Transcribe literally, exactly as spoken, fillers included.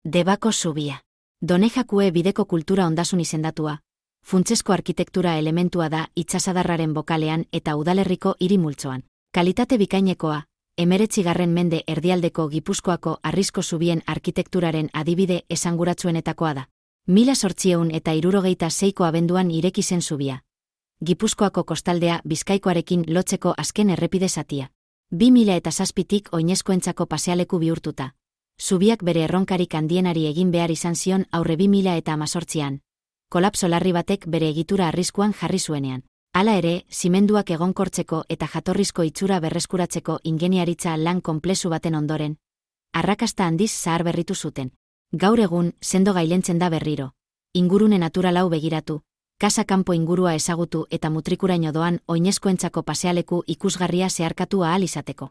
Debako zubia. Donejakue bideko kultura ondasun izendatua, funtsesko arkitektura elementua da itsasadarraren bokalean eta udalerriko hiri multzoan. Kalitate bikainekoa, hemeretzigarren mende erdialdeko Gipuzkoako harrizko zubien arkitekturaren adibide esanguratsuenetakoa da. Mila zortziehun eta hirurogeita seiko abenduan ireki zen zubia. Gipuzkoako kostaldea Bizkaikoarekin lotzeko azken errepide zatia. Bi mila eta zazpitik oinezkoentzako pasealeku bihurtuta. Zubiak bere erronkarik handienari egin behar izan zion aurre bi mila eta hamazortzian. Kolapso larri batek bere egitura arriskuan jarri zuenean. Hala ere, zimenduak egonkortzeko eta jatorrizko itxura berreskuratzeko ingeniaritza lan konplezu baten ondoren, arrakasta handiz zahar berritu zuten. Gaur egun, sendo gailentzen da berriro. Ingurune naturalau begiratu, kasa kanpo ingurua ezagutu eta mutrikuraino doan oinezkoentzako pasealeku ikusgarria zeharkatu ahal izateko.